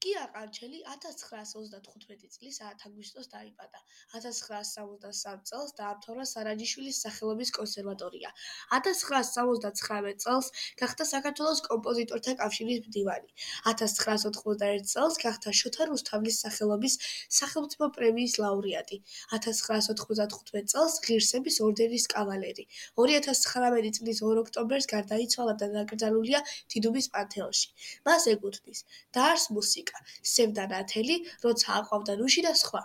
კია ყანჩელი 1935 წლის 10 აგვისტოს დაიბადა. 1963 წელს დაამთავრა სარაჯიშვილის სახელობის კონსერვატორია. 1979 წელს გახდა საქართველოს კომპოზიტორთა კავშირის მდივანი. 1991 წელს გახდა შოთა რუსთაველის სახელობის სახელმწიფო პრემიის ლაურეატი. 1995 წელს ღირსების ორდენის კავალერი. 2019 წლის 2 ოქტომბერს გარდაიცვალა და დაკრძალულია დიდუბის პანთეონში. მას ეკუთვნის: დაარსს მუსიკა, სევდა ნათელი, როცა აყვავდა ნუში და სხვა.